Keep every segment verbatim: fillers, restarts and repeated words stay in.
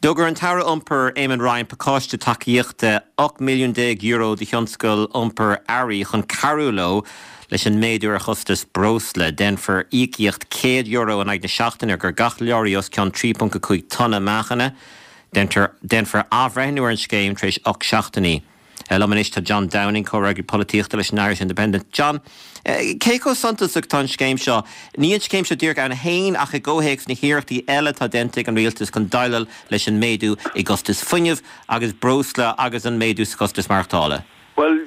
D'fhógair an tAire Iompair Eamon Ryan pacáiste tacaíochta ocht milliún déag euro do thionscal iompair earraí chun cabhrú leo leis an méadú ar chostas breosla. Déanfar íocaíocht céad euro in aghaidh na seachtaine ar gach leoraí os cionn trí ponc a cúig tonna meáchain. Déanfar athbhreithniú ar an scéim tar éis ocht seachtainí. Liom anois tá John Downing, comhfhreagraí polaitíochta leis an Irish Independent. John, cé chomh suntasach atá an scéim seo? Ní an scéim seo díreach ann féin ach i gcomhthéacs na hiarrachtaí eile atá déanta ag an rialtas chun déileáil leis an méadú i gcostas fuinnimh agus breosla agus an méadú sa chostas maireachtála. Well,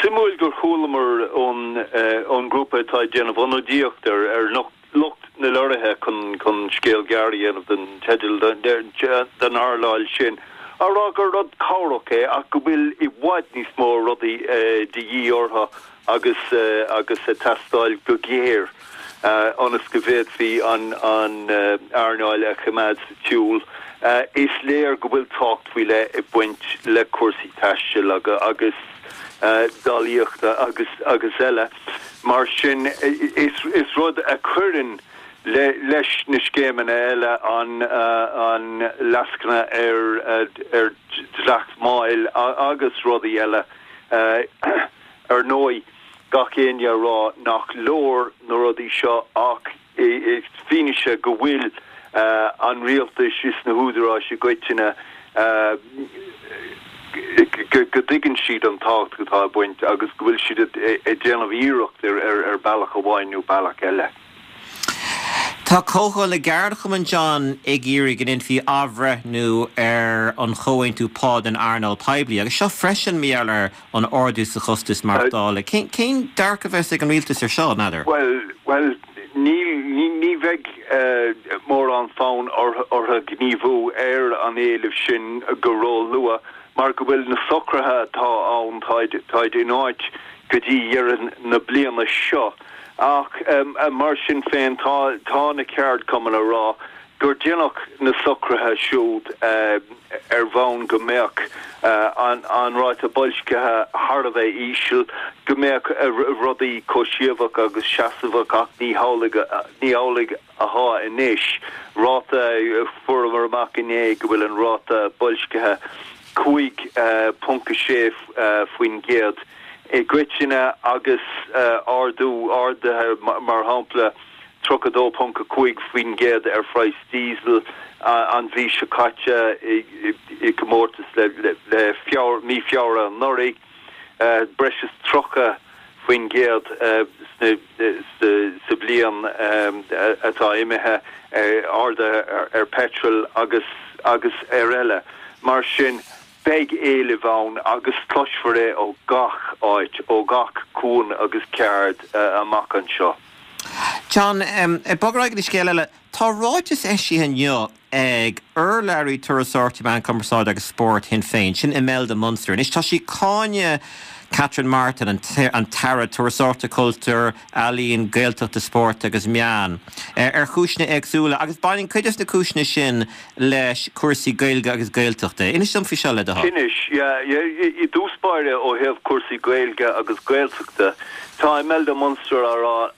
suimiúil gur chualamar ón ón grúpa atá ag déanamh ionadaíocht ar ar lucht na leoraithe chun chun scéal gearr a dhéanamh den teideal den earnáil sin, á rá gur rud cabhrach é ach go bhfuil i bhfad níos mó rudaí de dhíth orthu agus agus ag teastáil go géar ionas go bhféadfaí an an earnáil a choimeád sa tsiúl. Is léir go bhfuil tábhacht faoi leith ag baint le cúrsaí taistil agus dálaíochta agus agus eile. Mar sin is is rud a chuireann le leis na scéimeanna eile an an lascaine ar ar dleacht máil agus rudaí eile ar ndóigh gach éinne a rá nach leor na rudaí seo ach fianaise go bhfuil an rialtas is na húdaráis i gcoitinne go dtuigeann siad an tábhacht atá ag baint agus go bhfuil siad ag déanamh iarracht ar ar bealach amháin nó bealach eile. Tá Comhdháil na gCeardchumann John ag iarraidh go ndéanfaí athbhreithniú ar an chomhaontú pá den earnáil poiblí, agus seo freisin mar gheall ar an ardú sa chostas maireachtála. Cén dearcadh a bheas ag an rialtas ar seo, n'fheadar? Well, well, ní ní bheidh mórán fonn orthu gníomhú ar an éileamh sin go ró-luath mar go bhfuil na socruithe atá ann táid in áit go dtí dheireadh na bliana seo. Ach mar sin féin tá tá na ceardchumainn a rá gur déanadh na socruithe siúd ar bhonn go mbeadh an an ráta boilscithe thar a bheith íseal, go mbeadh rudaí cobhsaíoch agus seasamhach ach ní hamhlaidh ní hamhlaidh atá anois. Ráta fuaireamar amach inné go bhfuil an ráta boilscithe cúig ponc a sé faoin gcéad. I gcoitinne agus ardú ardaithe mar shampla tríocha dó ponc a cúig faoin gcéad ar phraghas diesel an mhí seo caite i gcomórtas le le Feabhra mí Feabhra anuraidh, breis is tríocha faoin gcéad sa bhliain atá imithe ardaithe ar petrol agus agus ar eile. Mar sin beidh éileamh ann agus cloisfear é ó gach áit, ó gach cuan agus ceard amach anseo. John, ag bogadh ar aghaidh go scéal eile, tá ráiteas eisithe inniu ag urlabhraí turasóireachta meán cumarsáide agus spóirt Shinn Féin, sin Imelda Munster. Anois tá sí ag cáineadh Catherine Martin, an tAire Turasóireachta, Cultúir, Ealaíon, Gaeltachta, Spóirt agus Meán, ar chúiseanna éagsúla agus baineann cuid de na cúiseanna sin leis cúrsaí Gaeilge agus Gaeltachta. Inis dom faoi seo le do thoil. Inis, yeah, i dtús báire ó thaobh cúrsaí Gaeilge agus Gaeltachta, tá Imelda Munster á rá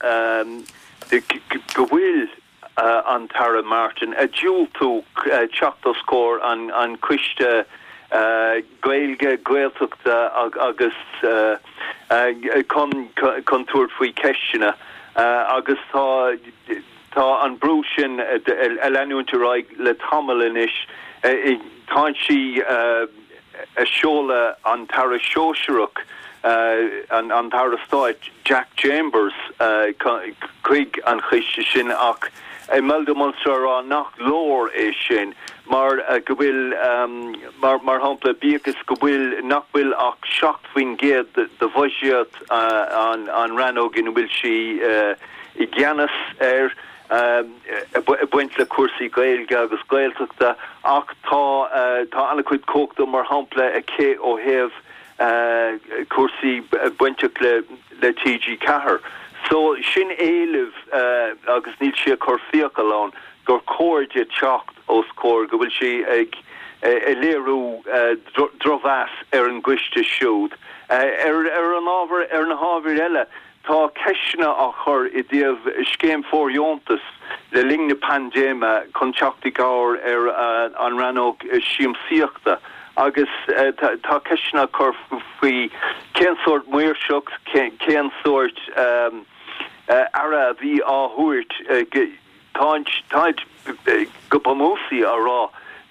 go bhfuil an tAire Martin ag diúltú teacht os comhair an an coiste Gaeilge, Gaeltachta agus chun chun tabhairt faoi ceisteanna agus tá tá an brú sin ag leanúint ar aghaidh le tamall anois. Tá sí ag seoladh an tAire Sóisearach an an tAire Stáit Jack Chambers chuig an choiste sin ach Imelda Munster rá nach leor é sin mar go bhfuil mar mar shampla bíodh is go bhfuil nach bhfuil ach seacht faoin gcéad de bhuiséad an an rannóg ina bhfuil sí i gceannas ar ag baint le cúrsaí Gaeilge agus Gaeltachta ach tá tá an-chuid cumhachta mar shampla aici ó thaobh cúrsaí bainteach le le TG Ceathair. So sin éileamh agus níl sí ag cur fiacail ann gur chóir di teacht os comhair go bhfuil sí ag ag léiriú drochmheas ar an gcoiste siúd. Ar ar an ábhar ar na hábhair eile Tá ceisteanna á chur i dtaobh scéim fóirdheontas le linn na paindéime chun teacht i gcabhair ar an rannóg siamsaíochta agus tá ceisteanna á cur faoi cén sórt maoirseacht, cén sórt aire a bhí á thabhairt. Táid go bunúsach á rá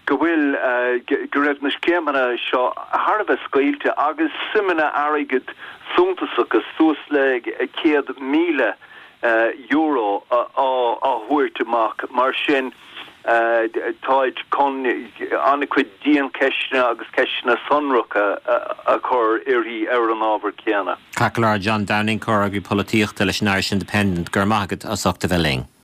go bhfuil go raibh na scéimeanna seo thar a bheith scaoilte agus suimeanna airgid suntasacha suas le céad míle euro á thabhairt amach. Mar sin táid chun an-chuid diancheisteanna agus ceisteanna sonracha a chur uirthi ar an ábhar céanna. Ceart go leor John Downing, Comhfhreagraí Polaitíochta leis an Irish Independent, go raibh maith agat as ucht a bheith linn.